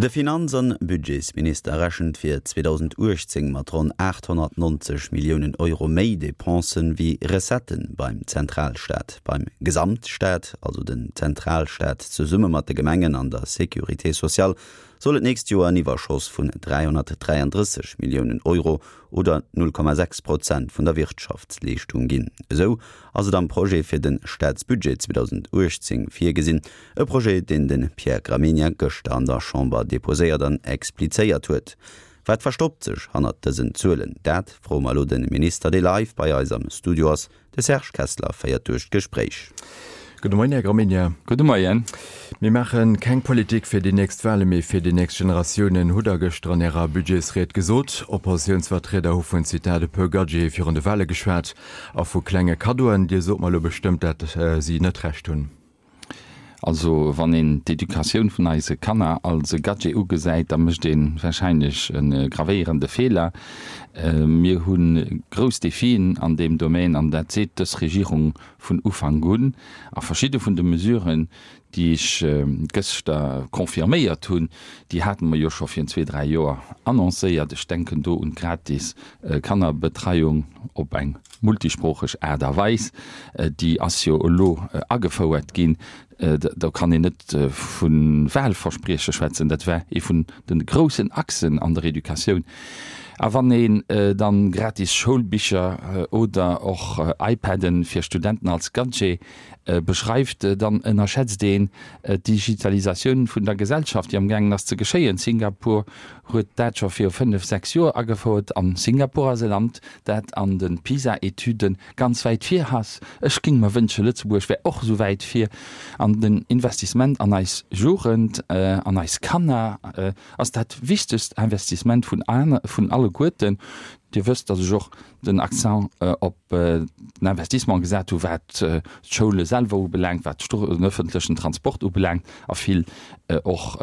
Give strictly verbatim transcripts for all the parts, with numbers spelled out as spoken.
De Finanz an Budgetsminister rechent fir zweedausendachtzéng mat ronn aathonnertnonzeg Milliounen Euro méi Depensen wéi Recetten beim Zentralstaat. Beim Gesamtstaat, also den Zentralstaat zesumme mat de Gemengen an der Sécurité sociale, soll et d'nächst Joer en Iwwerschoss vun dräihonnertdräiandrësseg Milliounen Euro oder null Komma sechs Prozent vun der Wirtschaftsleeschtung ginn. Esou ass et am Projet fir de Staatsbudget zweedausenduechtzéng virgesinn, e Projet, deen de Pierre Gramegna gëschter an der Chamber deposéiert an explizéiert huet. Wat verstoppt sech hannert dësen Zuelen? Dat froe mer elo de Minister, dee live bei eis am Studio ass. De Serge Kessler féiert duerch d'Gespréich. Gudde Moien, Här Gramegna. Gudde Moien. Mir maache keng Politik fir déi nächst Wale mee fir déi nächst Generatiounen, hutt Der gëschter an Ärer Budgetsried gesot. Oppositiounsvertrieder hu vun, Zitat, e puer Gadgete virun de Wale geschwat a vu klenge Kaddoen. Dir sot mer elo bestëmmt, dat si net Recht hunn. Also wann een d'Educatioun vun eise Kanner als e Gadget ugesäit, da mécht ee warscheinlech e gravéierende Feeler. Mir hu grouss Defien an deem Domaine an dat seet dës Regierung vun Ufank un. A verschidde vun de Mesuren, déi ech gëschter confirméiert hunn, déi hate mer jo scho virun zwee, dräi Joer annoncéiert. Ech denken do un d'gratis Kannerbetreiung op eng multisproocheg Aart a Weis. Déi ass jo elo agefouert ginn. Do kann een net vu Wahlversprieche schwätzen, dat war ee vun de groussen Achsen an der Educatioun. A wann een dann gratis Schoulbicher oder och iPaden fir Studenten als Gadget beschreift, dann ënnerschätzt een d'Digitalisatioun vun der Gesellschaft, déi amgaangen ass ze geschéien. Singapur huet dat scho viru fënnef, sechs Joer agefouert an Singapur ass e Land, dat an de PISA-Etüde ganz wäit vir ass. Ech géing mer wënschen, Lëtzebuerg wär och esou wäit vir. An den Investissement an eis Jugend, an eis Kanner ass dat wichtegst Investissement vun vun alleguerten. Dir wësst, datt ech och den Accent op den Investissement gesat hu wat d'Schoule selwer ubelaangt, wat den öffentlechen Transport ubelaangt a vill och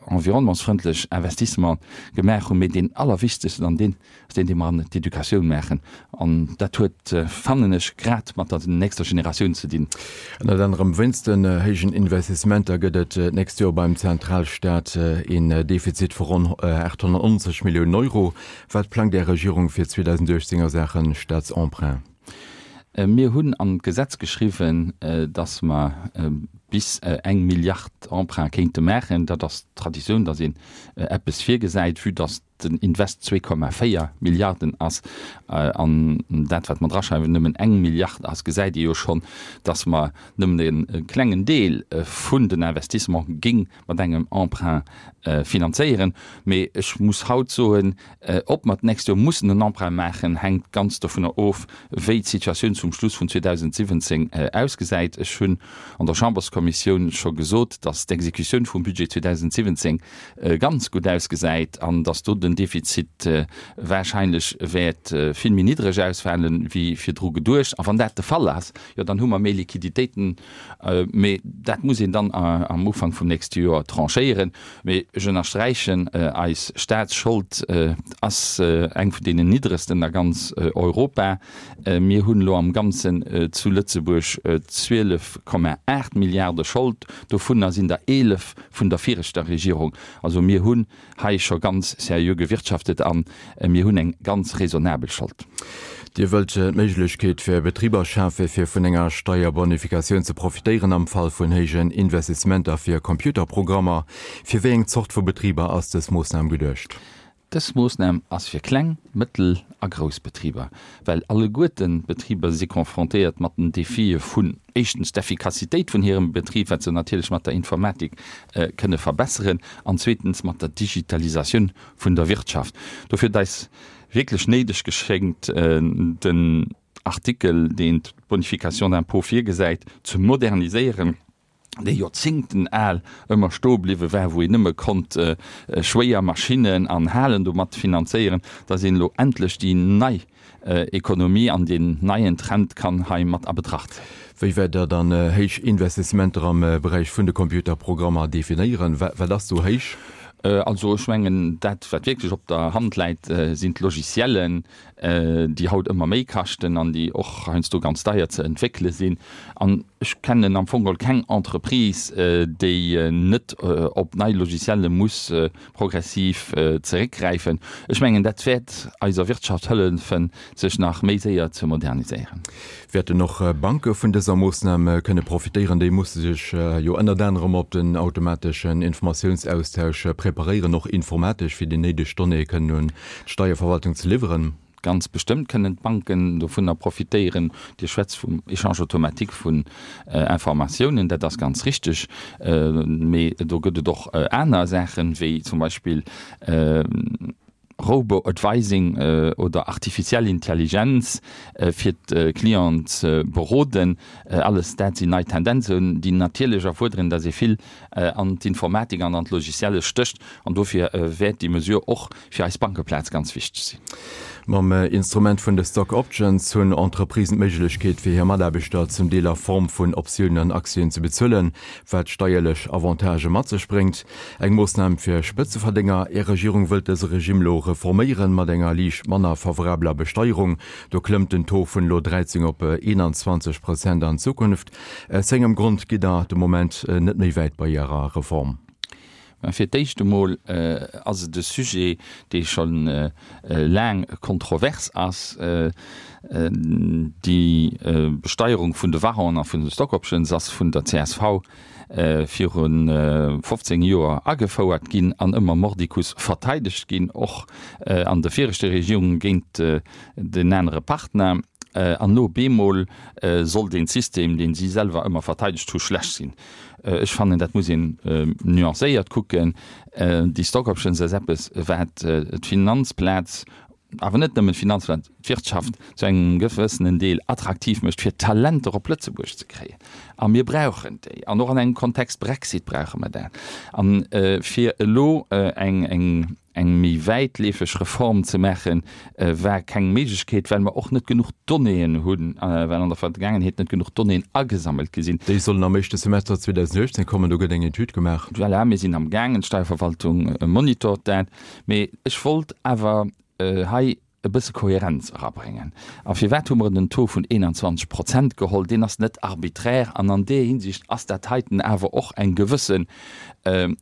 environnementsfrëndlech Investissementen gemaach hunn. Mee deen allerwichtegsten an deen ass deen, dee mer an d'Educatioun maachen. An dat huet, fannen ech, grad mat der nächster Generatioun ze dinn. Ënnert anerem wéinst den héijen Investissementer gëtt et d'nächst Joer beim Zentralstaat een Defizit vu ronn aathonnertnonzeg Milliounen Euro. Wat plangt Är Regierung fir zweedausenduechtzéng a Saache Staatsemprunt? Mir hunn an d'Gesetz geschriwwen, datt mer bis eng Milliard Emprunt kéinte maachen. Dat ass d'Traditioun, datt een eppes virgesäit, vue datt den Invest zwee Komma véier Milliarden ass an dat, wat mer draschreiwen, nëmmen eng Milliard ass, gesäit ee jo schonn, datt mer nëmmen e klengen Deel vun den Investissement géing mat engem Emprunt finanzéieren. Mee ech muss haut soen, ob mer d'nächst Joer mussen en Emprunt maachen, hänkt ganz dovunner of, wéi d'Situatioun zum Schluss vun zweedausentsiwwenzéng ausgesäit. Ech hunn an der Chamberskommissioun scho gesot, datt d'Exekutioun vum Budget zweedausentsiwwenzéng ganz gutt ausgesäit an datt do den Defizit warscheinlech wäert vill méi niddreg ausfalen, wéi virdru geduecht. A wann dat de Fall ass, jo dann hu mer méi Liquiditéiten. Mee dat muss een dann am Ufank vum nächste Joer tranchéieren. Mee ech ënnersträichen, eis Staatsschold ass eng vun deenen niddregsten a ganz Europa. Mir hunn elo am Ganzen zu Lëtzebuerg zwielef Komma aacht Milliarde Schold, dovunner sinn der eelef vun der viregter Regierung. Also mir hunn hei scho ganz seriö gewirtschaftet a mir hunn eng ganz raisonnabel Schold. Dir wëllt d'Méiglechkeet fir Betriber schafe fir vun enger Steierbonifikatioun ze profitéieren am Fall vun héijen Investissementer fir Computerprogrammer. Fir wéi eng Zort vu Betriber ass dës Moossnam geduecht? Dës Moossnam ass fir kleng, mëttel a grouss Betriber, well alleguerten d'Betriber si confrontéiert mat den Defie vun éischtens d'Effikassitéit vun hirem Betrib, wat se natierlech mat der Informatik kënne verbesseren, an zweetens mat der Digitalisatioun vun der Wirtschaft. Dofir huet eis wierklech néideg geschéngt, den Artikel, deen d'Bonification d'impôt virgesäit, ze moderniséieren, dee joerzéngten al ëmmer stoe bliwwe war, wou een nëmme konnt schwéier Maschinnen an Halen domat finanzéieren, dass een elo endlech déi nei Ekonomie an deen neien Trend kann hei mat a Betracht zéien. Wéi wäert Der dann héich Investissementer am Beräich vun de Computerprogrammer definéieren? Wat ass do héich? Also ech mengen, dat wat wierklech op der Hand läit, sinn d'Logiciellen, déi haut ëmmer méi kaschten an déi och heiansdo ganz deier ze entwéckele sinn. An ech kennen am Fong geholl keng Entreprise, déi net op nei Logicielle muss progressiv zeréckgräifen. Ech mengen, dat wäert eiser Wirtschaft hëllefen, sech nach méi séier ze moderniséieren. Wäerten och Banke vun dëser Moossnam kënne profitéieren? Déi musse sech jo ënnert anerem op den automateschen Informatiounsaustausch preparéieren, och informatesch, fir déi néideg Donnéeë kënnen un d'Steierverwaltung ze liwweren. Ganz bestëmmt kënnen d'Banken dovunner profitéieren. Dir schwätzt vum Échange automatique vun Informatiounen, dat ass ganz richteg. Mee do gëtt et och aner Saachen, wéi zum Beispill Robo-Advising oder artificiell Intelligenz, fir d'Clienten ze beroden. Alles dat sinn nei Tendenzen, déi natierlech erfuerderen, datt ee vill an d'Informatik an an d'Logicielle stécht. An dofir wäert déi Mesure och fir eis Bankeplaz ganz wichteg sinn. Mam Instrument vun de Stock Options hunn Entreprisen d'Méiglechkeet, fir hir Mataarbechter zum Deel a Form vun Optiounen an Aktien ze bezuelen, wat steierlech Avantagë mat sech bréngt. Eng Moossnam fir Spëtzeverdénger. Är Regierung wëllt dëse Regime elo reforméieren, mat enger liicht manner favorabeler Besteierung. Do klëmmt den Taux vun elo dräizéng op eenanzwanzeg Prozent an Zukunft. Aus wéi engem Grond gitt Der de Moment net méi wäit bei Ärer Reform? Fir d'éischt emol ass et e Sujet, dee scho laang kontrovers ass. Déi Besteierung vun de Warren a vun de Stock Options ass vun der C S V viru fofzéng Joer agefouert ginn an ëmmer mordicus verteidegt ginn, och an de viregte Regierunge géint den anere Partner. An elo bemol soll dee System, dee si selwer ëmmer verteidegt hu, schlecht sinn. Ech fannen, dat muss een nuancéiert kucken. Déi Stock Options ass eppes, wat d'Finanzplaz, awer net nëmmen d'Finanzplaz, d'Wirtschaft zu engem gewëssenen Deel attraktiv mécht, fir Talenter op Lëtzebuerg ze kréien. A mir brauchen déi. An och an engem Kontext Brexit brauche mer dat. An fir elo eng, eng, eng méi wäitleefeg Reform ze maachen, war keng Méiglechkeet, well mer och net genuch Donnéeën hunn, well an der Vergaangenheet net genuch Donnéeën agesammelt gi sinn. Déi sollen am éischte Semester zweedausenduechtzéng kommen, do gëtt eng Etüd gemaach. Voilà, mir sinn am gaangen, d'Steierverwaltung monitort dat. Mee ech wollt awer hei e bësse Kohärenz erabréngen. A firwat hu mer den Taux vun eenanzwanzeg Prozent geholl? Deen ass net arbiträr an an deer Hinsicht ass dat heiten awer och eng gewësse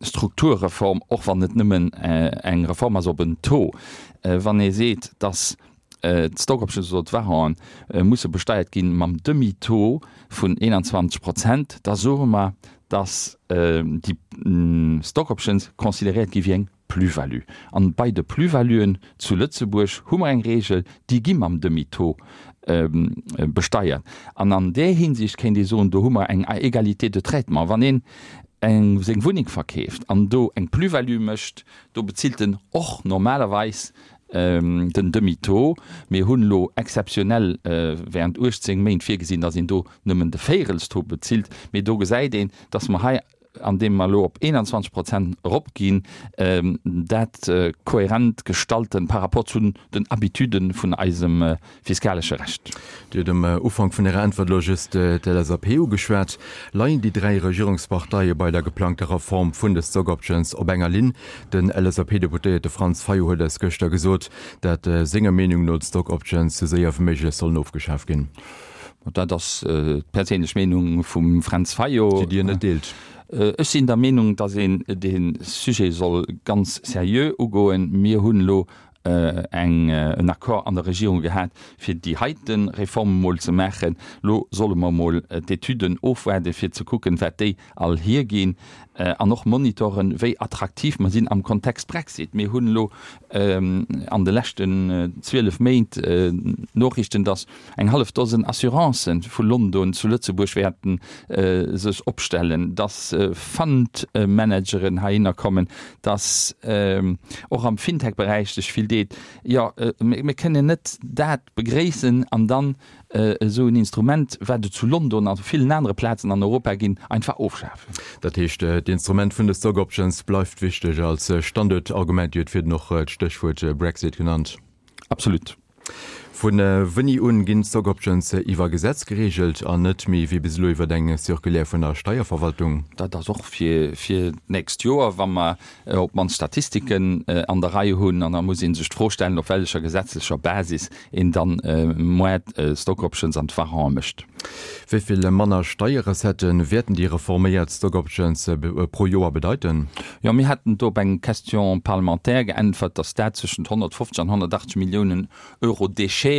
Strukturreform, och wann et nëmmen eng Reform ass op en Taux. Wann ee seet, dass d'Stock Options oder d'Warrante musse besteiert gi mam Demi-Taux vun eenanzwanzeg Prozent, da soe mer, dass déi Stock Options consideréiert gi wéi eng Plus-value. An bei de Plus-valuen zu Lëtzebuerg hu mer eng Regel, déi gi mam Demi-taux besteiert. An an där Hinsicht kéint ee soen, do hu mer eng Égalité de traitement. Wann een eng seng Wunneng verkeeft an do eng Plus-value mécht, do bezilt en och normalerweis den Demi-taux. Mir hunn elo exzeptionell während uechtzéng Méint virgesinn, dass een do nëmmen de Véirelstaux bezilt. Mee do gesäit een, dass mer hei, andeem mer elo op eenanzwanzeg Prozent eropginn, dat kohärent gestalten par rapport zu den Habituden vun eisem fiskalesche Recht. Dir hutt um Ufank vun Ärer Äntwert elo just d'L S A P ugeschwat. Leien déi dräi Regierungsparteie bei der geplangter Reform vun de Stock Options op enger Linn? Den L S A P-Deputéierte Franz Fayot huet eis gëschter gesot, dat senger Meenung no d'Stock Options sou séier wéi méiglech sollen ofgeschaf ginn. Dat ass d'perséinlech Meenung vum Fränz Fayot. Déi Dir net deelt? Ech sinn der Meenung, datt een dee Sujet soll ganz seriö ugoen. Mir hunn elo eng en Accord an der Regierung gehat, fir déi heite Reform emol ze maachen. Elo solle mer emol d'Etüden ofwaarden, fir ze kucken, wat déi all hierginn, an och monitoren, wéi attraktiv mer sinn am Kontext Brexit. Mir hunn elo an de leschten zwielef Méint Noriichten, datt eng hallef Dosen Assurancen vu London zu Lëtzebuerg wäerten sech opstellen, datt Fund-Manageren heihinner kommen, datt och am Fintech-Beräich sech vill deet. Jo, mir kënnen net dat begréissen an dann esou en Instrument, wat et zu London a villen anere Plazen an Europa ginn, einfach ofschafen. Dat heescht, d'Instrument vun de Stock Options bleift wichteg als Standuertargument. Dir hutt virdrun och d'Stéchwuert Brexit genannt. Absolut. Vu wéini un ginn d'Stock Options iwwer Gesetz gereegelt an net méi wéi bis elo iwwer eng Circulaire vun der Steierverwaltung? Dat ass och fir fir d'nächst Joer, wa mer op d'mannst Statistiken an der Rei hunn. An da muss ee sech d'Fro stellen, op wellecher gesetzlecher Basis een dann moar d'Stock Options an d'Warrante mécht. Wéi vill manner Steierrecettë wäerten déi reforméiert Stock Options pro Joer bedeiten? Jo, mir haten do op eng Question parlementaire geäntwert, datt dat zwëschent honnertfofzeg an honnertachtzeg Milliounen Euro Déchete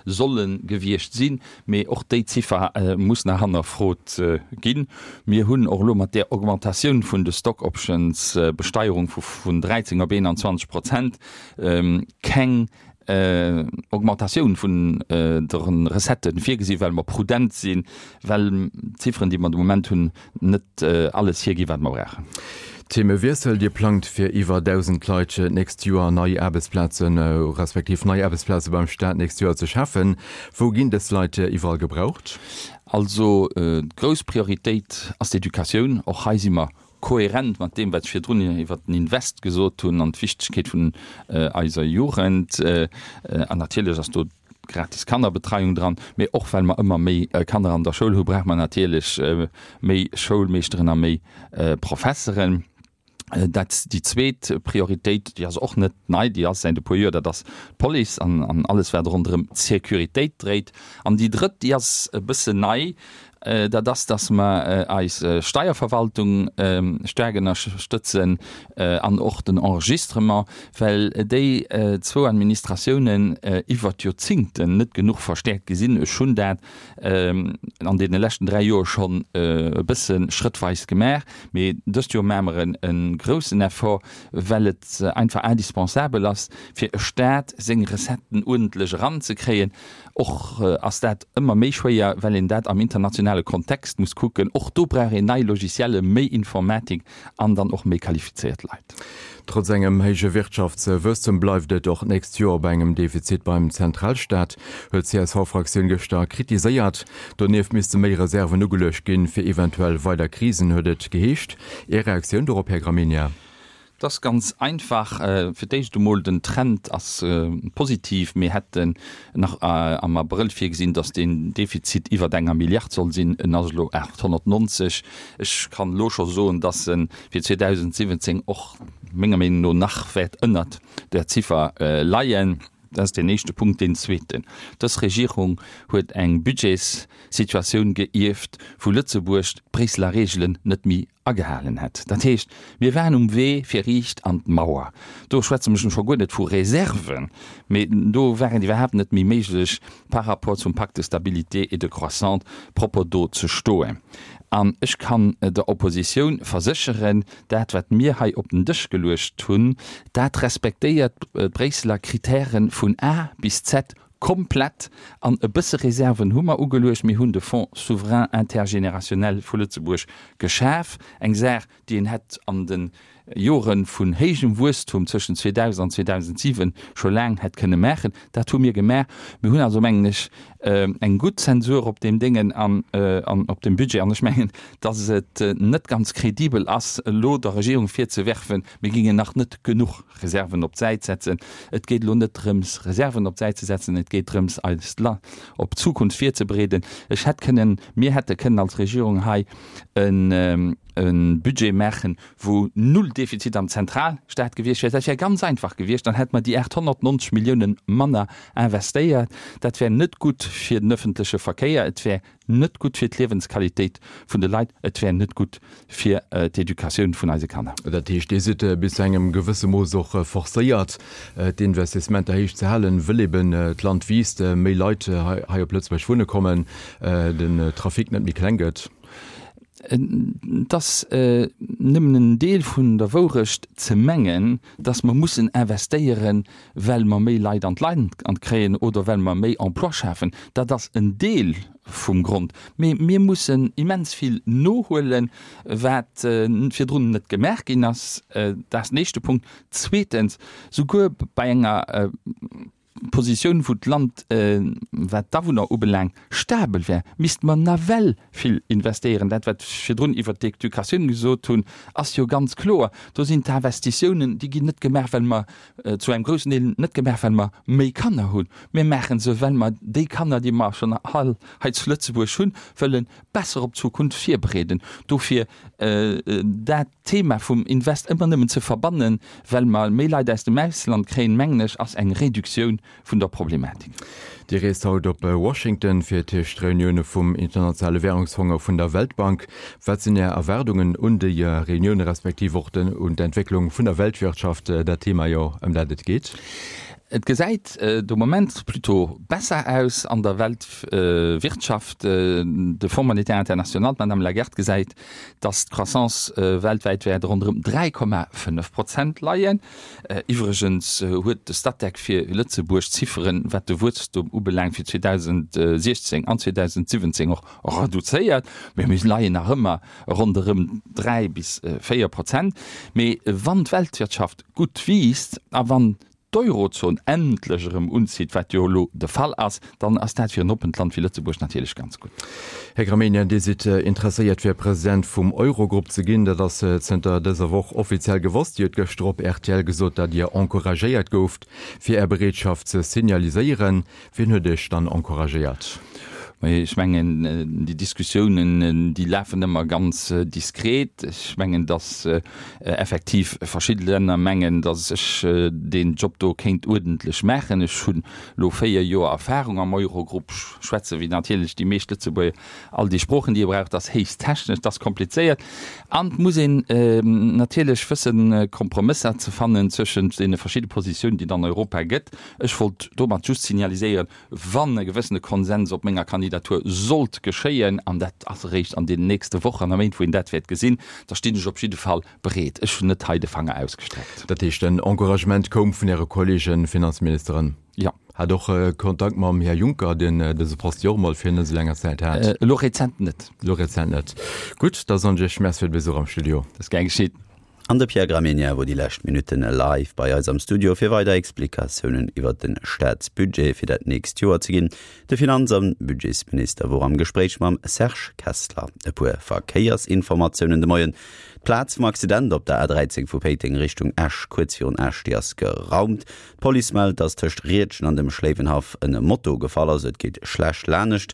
solle gewiescht sinn. Mee och déi Ziffer muss nach hannerfrot ginn. Mir hunn och elo mat där Augmentatioun vun de Stock Options Besteierung vun dräizéng op eenanzwanzeg Prozent keng Augmentatioun vun de Recettë virgesinn, well mer prudent sinn, well d'Zifferen, déi mer de Moment hunn, net alles hierginn, wat mer brauchen. Themewiessel, Dir plangt fir iwwer dausend Leit d'nächst Joer nei Aarbechtsplazen, respektiv nei Aarbechtsplaze beim Staat d'nächst Joer ze schafen. Wou ginn dës Leit iwwerall gebraucht? Also d'grouss Prioritéit ass d'Educatioun. Och hei si mer kohärent mat deem, wat ech virdrun iwwert den Invest gesot hunn an d'Wichtegkeet vun eiser Jugend. An natierlech ass do d'gratis Kannerbetreiung dran. Mee och well mer ëmmer méi Kanner an der Schoul hu, brauche mer natierlech méi Schoulmeeschteren a méi Professeren. Dat déi zweet Prioritéit, déi ass och net nei, déi ass säit e puer Joer, dat ass d'Police an an alles wat ronderëm d'Sécuritéit dréit. An déi drëtt, déi ass e bëssen nei, dat ass, datt mer eis Steierverwaltung staark ënnerstëtzen an och den Enregistrement, well déi zwou Administratiounen iwwert d'Joerzingten net genuch verstäerkt gi sinn. Ech hunn dat an deene leschten dräi Joer schonn e bësse schrëttweis gemaach, mee dëst Joer maache mer e groussen Effort, well et einfach indispensabel ass, fir e Staat seng Recetten uerdentlech eranzekréien. Och ass dat ëmmer méi schwéier, well een dat am internationale Kontext muss kucken. Och do brauch een nei Logicielle, méi Informatik an dann och méi qualifizéiert Leit. Trotz engem héije Wirtschaftswuesstem bleift et och d'nächst Joer bei engem Defizit beim Zentralstaat, huet d'C S V-Fraktioun gëschter kritiséiert. Donieft misste méi Reserven ugeluecht ginn, fir eventuell weider Krisen, huet et geheescht. Är Reaktioun dorop, Här Gramegna? Et ass ganz einfach, fir d'éischt emol, den Trend ass positiv. Mir hätten nach am Abrëll virgesinn, datt deen Defizit iwwert enger Milliard soll sinn. En ass elo aathonnertnonzeg. Ech kann elo scho soen, datt e fir zweedausendsiwwenzéng och menger Meenung no nach wäert ënnert där Ziffer leien. Dat ass deen éischte Punkt. Deen zweeten, Dës Regierung huet eng Budgetssituatioun geierft, wou Lëtzebuerg d'Bréisseler Reegelen net méi agehalen hätt. Dat heescht, mir waren um Wee fir riicht an d'Mauer. Do schwätze mech scho guer net vu Reserven, mee do war et iwwerhaapt net méi méiglech, par rapport zum Pacte de stabilité et de croissance propper do ze stoen. An ech kann der Oppositioun versécheren, dat wat mir hei op den Dësch geluecht hunn, dat respektéiert d'Bréisseler Kritäre vun A bis Z komplett. An e bësse Reserven hu mer ugeluecht. Mir hunn de Fonds souverain intergénérationnel vu Lëtzebuerg geschaf, eng Saach, déi een hätt an de Jore vun héijem Wuesstum zwëschen zweedausend an zweedausentsiwen scho laang hätt kënne maachen. Dat hu mir gemaach. Mir hunn also, mengen ech, eng gutt Zensur op deem Déngen an op dem Budget. An ech mengen, dass et net ganz kredibel ass, elo der Regierung virzewerfen, mir géingen nach net genuch Reserven op d'Säit setzen. Et geet elo net drëms, Reserven op d'Säit ze setzen, et geet drëms, eist Land op d'Zukunft virzebereeden. Ech hätt kënnen, mir hätte kënnen als Regierung hei e Budget maachen, wou null Defizit am Zentralstaat gewiescht wär. Dat wär ganz einfach gewiescht, dann hätte mer déi aathonnertnonzeg Milliounen manner investéiert. Dat wär net gutt fir den öffentleche Verkéier, et wär net gutt fir d'Liewensqualitéit vun de Leit, et wär net gutt fir d'Educatioun vun eise Kanner. Dat heescht, Dir sidd bis zu engem gewësse Mooss och forcéiert, d'Investissementer héich ze halen, wëll eben d'Land wiisst, méi Leit hei op Lëtzebuerg wunne kommen, den Trafic net méi kleng gëtt. Et ass nëmmen en Deel vun der Wourecht ze mengen, dass mer mussen investéieren, well mer méi Leit an d'Land kréien oder well mer méi Emploi schafen. Dat ass en Deel vum Grond. Mee mir mussen immens vill nohuelen, wat virdrun net gemaach ginn ass. Dat ass den éischte Punkt. Zweetens, souguer bei enger Positioun, wou d'Land, wat d'Awunner ubelaangt, stabel wär, misste mer nawell vill investéieren. Dat, wat ech virdrun iwwert d'Educatioun gesot hunn, ass jo ganz kloer. Do sinn d'Investitiounen, déi ginn net gemaach, well mer, zu engem groussen Deel net gemaach, well mer méi Kanner hunn. Mir maache se, well mer déi Kanner, déi mer schonn hei zu Lëtzebuerg hunn, wëlle besser op d'Zukunft virbereeden. Dofir dat Thema vum Invest ëmmer nëmmen ze verbannen, well mer méi Leit aus dem Ausland kréien, mengen ech, ass eng Reduktioun vun der Problematik. Dir reest haut op Washington fir tëscht Reunioune vum Internationale Währungsfong a vun der Weltbank. Wat sinn Är Erwaardungen un déi Reunioune respektiv och un d'Entwécklung vun der Weltwirtschaft, dat Thema jo, ëm dat et geet? Et gesäit de Moment plutôt besser aus an der Weltwirtschaft. De Fonds monétaire international, d'Madame Lagarde gesäit, datt d'Croissance weltwäit wäert ronderëm dräi Komma fënnef Prozent leien. Iwwregens huet de Statec fir Lëtzebuerg d'Zifferen, wat de Wuesstum ubelaangt, fir zweedausendsiechzéng an zweedausendsiwwenzéng och reduzéiert. Mee mir leien nach ëmmer ronderëm dräi bis véier Prozent. Mee wann d'Weltwirtschaft gutt wiisst a wann d'Eurozon endlech erëm unzitt, wat jo elo de Fall ass, dann ass dat fir en oppent Land wéi Lëtzebuerg natierlech ganz gutt. Här Gramegna, Dir sidd interesséiert fir President vum Eurogrupp ze ginn. Dat ass zënter dëser Woch offiziell gewosst. Dir hutt gëschter op rtl gesot, datt Dir encouragéiert gouft, fir Är Bereetschaft ze signaliséieren. Wien huet Iech dann encouragéiert? Ech mengen, déi Diskussiounen, déi lafen ëmmer ganz diskret. Ech mengen, datt effektiv verschidde Länner mengen, datt ech deen Job do kéint uerdentlech maachen. Ech hunn elo véier Joer Erfahrung am Eurogrupp, schwätze wéi natierlech déi meescht Lëtzebuerger all déi Sproochen, déi ee brauch. Dat ass héchst technesch, dat ass komplizéiert an et muss een natierlech wëssen, Kompromësser ze fannen zwëschent deene verschidde Positiounen, déi et an Europa gëtt. Ech wollt domat just signaliséieren, wann e gewëssene Konsens op menger Kandidatur sollt geschéien, an dat ass eréischt an deenen nächste Wochen a Méint, wou een dat wäert gesinn, da stinn ech op jidde Fall bereet. Ech hunn net hei de Fanger ausgestreckt. Dat heescht, den Encouragement koum vun Äre Kollege Finanzministeren? Jo. Hat och Kontakt mam Här Juncker, deen dëse Poste jo och emol fir net esou langer Zäit hat? Elo rezent net. Elo rezent net. Gutt, da soen ech Iech Merci fir de Besuch am Studio. Dat ass gär geschitt. An de Pierre Gramegna wor déi lescht Minutten live bei eis am Studio fir weider Explikatiounen iwwert de Staatsbudget fir dat nächst Joer ze ginn. De Finanz an Budgetsminister wor am Gespréich mam Serge Kessler. E puer Verkéiersinformatiounen de Moien. D'Plaz vum Accident op der A dräizéng vu Péiteng Richtung Esch, kuerz virun Esch, déi ass geraumt. D'Police mellt, datt tëscht Riedgen an dem Schléiwenhaff en Moto gefall ass. Et geet schlecht lanescht.